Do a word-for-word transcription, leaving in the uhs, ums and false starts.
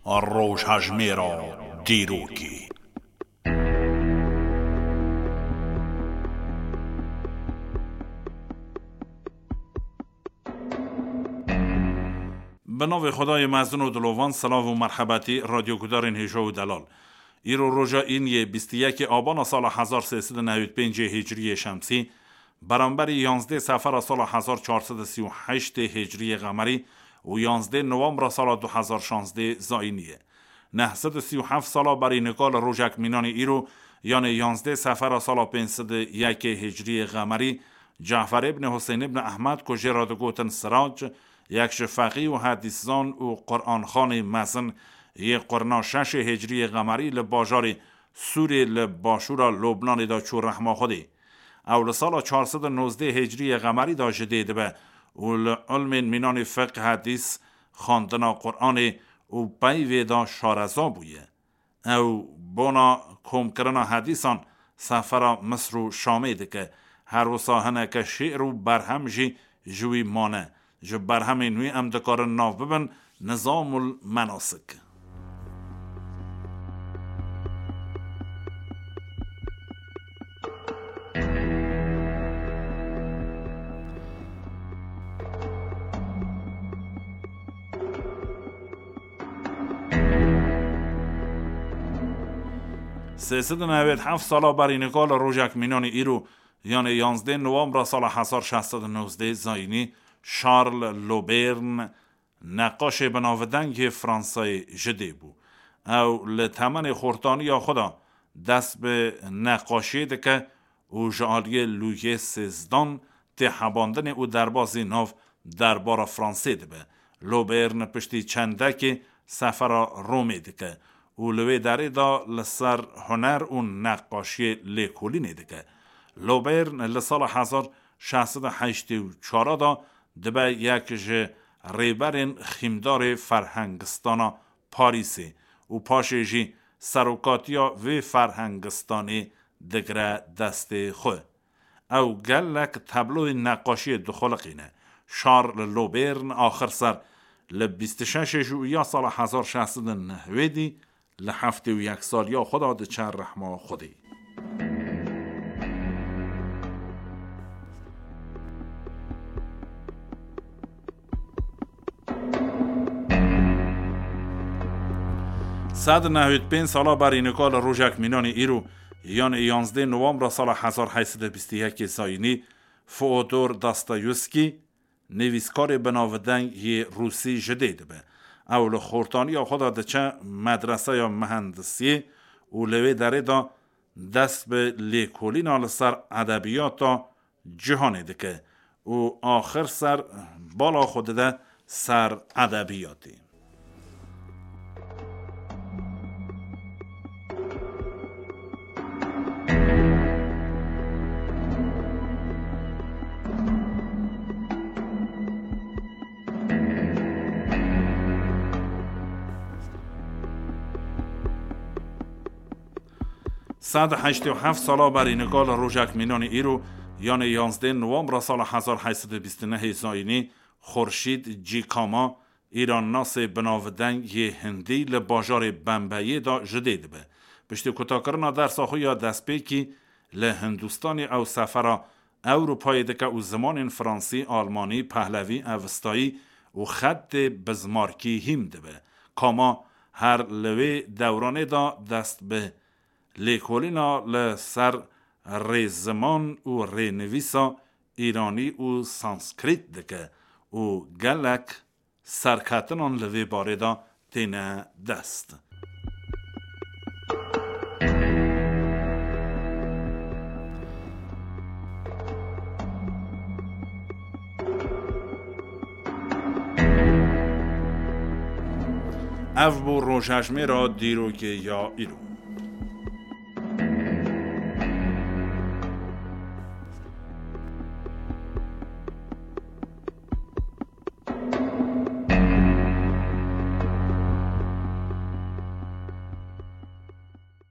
Rojhejmêra dîrokê. Bi navê Xwedayê mezin û dilovan, silav û merhebetî radyogudarên hêja û delal. Îro roja îniyê bîst û yekê abana sala hezar sê sed û newî pêncê hicriyê şemsî, beramberî yanzdê sefera sala hezar çar sed û sî û heştê hicriyê qemerî û yanzdê nowembra sala du hezar şazdê zayînî ye. Neh sed û sî û heft sala berî nika li rojek mînanî îro, yanê yanzdê sefera sala pênc sed û yekê hicriyê qemerî, Cafer ibn Huseyn ibn Ehmed ku jê re digotin Sirac, yek ji feqî û hedîszan û Quranxanê mezin yê qurna şeşê hicriyê qemerî li bajarê Sûrê li başûra Lubnanê de çû rehma Xwedê. Ew li sala çar sed û nozdeh hicriyê qemerî de ji dê dibe û li ilmên mînanê fiqh, hedîs, xwendina Quranê û peyvê de şareza bûye. Ew bona komkirina hedîsan sefera Misr û Şamê dike. Her wisa hineke şi'r û berhem jî ji wî mane. Ji berhemên wî em dikarin nav bibin Nizamul Menasik. Sê sed û newêd heft sala berî nika li rojek mînanî îro, yanê yanzdê nowembra sala hezar şeş sed û nozdeh zayînî, Charles Lobern, neqaşê binavdeng yê Fransayê ji dê bû. Ew li temenê xortaniya xwe de dest bi neqaşiyê dike û ji aliyê Lûyê sêzdan tê hebandinê û derbazî nav derbara Fransê dibe. Lobern piştî çendekê sefera Romê dike û li wê derê de li ser huner û neqaşiyê lêkolînê dike. Lobern li sala hezar şeş sed û heştê û çar de dibe yek ji rêberên xîmdarê ferhengistana Parîsê û paşê jî serokatiya vê ferhengistanê digire destê xwe. Ew gelek tabloyên neqaşiyê dixuliqîne. Charles Lobern axir ser li bîst û şeşê Jûiya sala hezar şeş sed û nehwêdî li heftê û yek saliya xwe de diçe rehma Xwedê. Sed û nehwêd pênc sala berî nika li rojek mînanî îro, yanê yanzdê nowembra sala hezar heyt sed û bîst û yekê zayînî, Fyodor Dostoyevskî, nivîskarê binavdeng yê Rûsî ji dê dibe. Ew li xortaniya xwe de diçe medreseya mihendisiyê û li wê derê de dest bi lêkolîna li ser edebiyata cîhanê dike û axir ser bala xwe dide ser edebiyatê. Sed û heştê û heft sala berî nika li rojek mînanî îro, yanê yanzdê nowembra sala hezar heyt sed û bîst û nehê zayînî, Xurşîd Cîkama, îrannasê binavdeng yê hindî li bajarê Bembeyê de ji dê dibe. Piştî kutakirina dersa xwe ya destpêkî li Hindistanê ew sefera Ewropayê dike û zimanên fransî, almanî, pehlevî, evistayî û xetê bizmarkî hîm dibe. Kama her li wê dewranê de dest bi lêkolîna li ser rêziman û rênivîsa îranî û sanskrît dike û gelek serkeftinan li vê barê de têne dest. Ev bû rojhejmêra dîrokê ya îro.